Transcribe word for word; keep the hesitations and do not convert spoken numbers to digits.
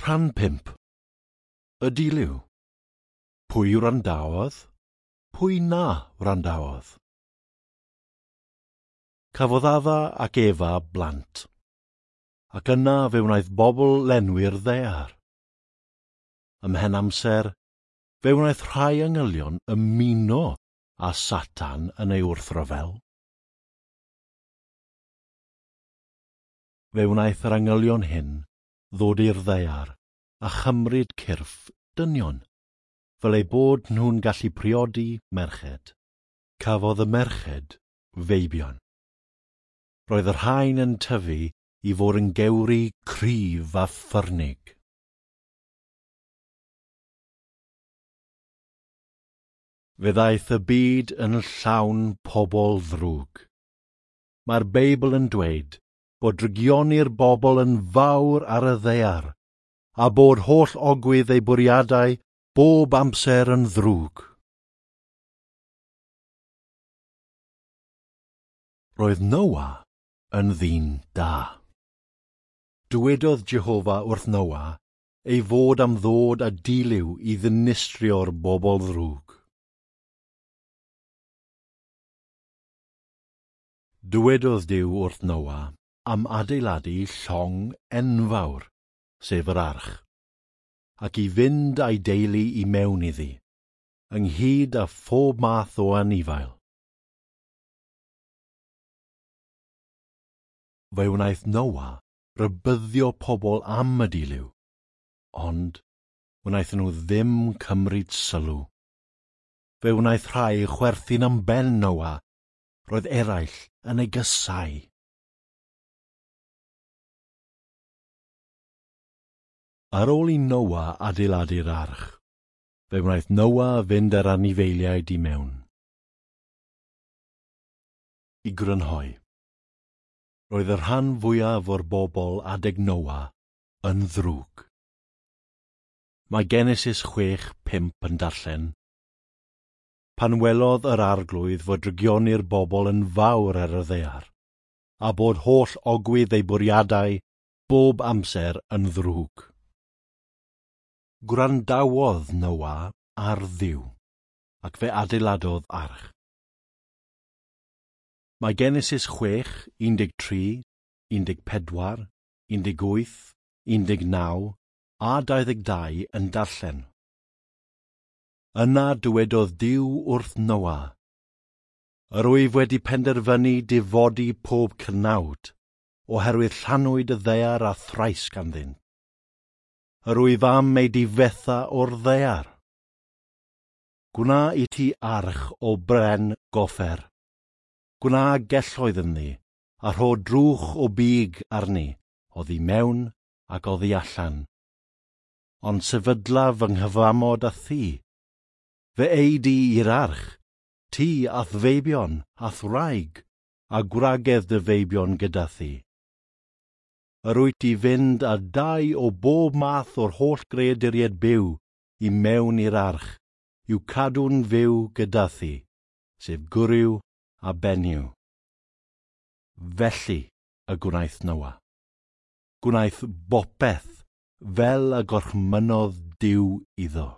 Rhan pump. Y dilyw. Pwy wrandawodd? Pwy na wrandawodd? Cafodd Adda ac Efa blant, ac yna fe wnaeth bobl lenwi'r ddaear. Ymhen amser, fe wnaeth rhai angylion ymuno â Satan yn ei wrthryfel. Fe wnaeth yr angylion hyn ddod i'r ddaear a chymryd cyrff dynion, fel eu bod nhw'n gallu priodi merched. Cafodd y merched feibion. Roedd y rhain yn tyfu i fod yn gewri cryf a ffyrnig. Fe ddaeth y byd yn llawn pobl ddrwg. Mae'r Beibl yn dweud bod drygioni'r bobl yn fawr ar y ddaear, a bod holl ogwydd eu bwriadau bob amser yn ddrwg. Roedd Noa yn ddyn da. Dywedodd Jehofa wrth Noa ei fod am ddod â dilyw i ddinistrio'r bobl ddrwg. Dywedodd Duw wrth Noa am adeiladu llong enfawr, sef yr arch, ac i fynd â'i deulu i mewn iddi, ynghyd â phob math o anifail. Fe wnaeth Noa rybuddio pobl am y dilyw, ond wnaethon nhw ddim cymryd sylw. Fe wnaeth rhai chwerthin am ben Noa, roedd eraill yn ei gysau. Ar ôl i Noa adeiladu'r arch, fe wnaeth Noa fynd â'r anifeiliaid i mewn. I grynhoi, roedd y rhan fwyaf o'r bobl adeg Noa yn ddrwg. Mae Genesis chwech pump yn darllen, Pan welodd yr arglwydd fod drygioni'r bobl yn fawr ar y ddaear, a bod holl ogwydd eu bwriadau bob amser yn ddrwg. Gwrandawodd Noa ar Dduw, ac fe adeiladodd arch. Mae Genesis chwech, un deg tri, un deg pedwar, un deg wyth, un deg naw a dau ddeg dau yn darllen. Yna dywedodd Duw wrth Noa, Yr wyf wedi penderfynu difodi pob cnawd, oherwydd llanwyd y ddaear a thrais ganddynt. Yr wyf am ei difetha o'r ddaear. Gwna i ti arch o bren goffer. Gwna gelloedd ynddi, a rho drwch o big arni, oddi mewn ac oddi allan. Ond sefydla fy nghyfamod â thi. Fe ei di i'r arch, ti a'th feibion, a'th wraig, a gwragedd dy feibion gyda thi. Yr wyt i fynd â dau o bob math o'r holl greaduriaid byw i mewn i'r arch, i'w cadw'n fyw gyda thi, sef gwryw a benyw. Felly y gwnaeth Noa. Gwnaeth bopeth fel y gorchmynnodd Duw iddo.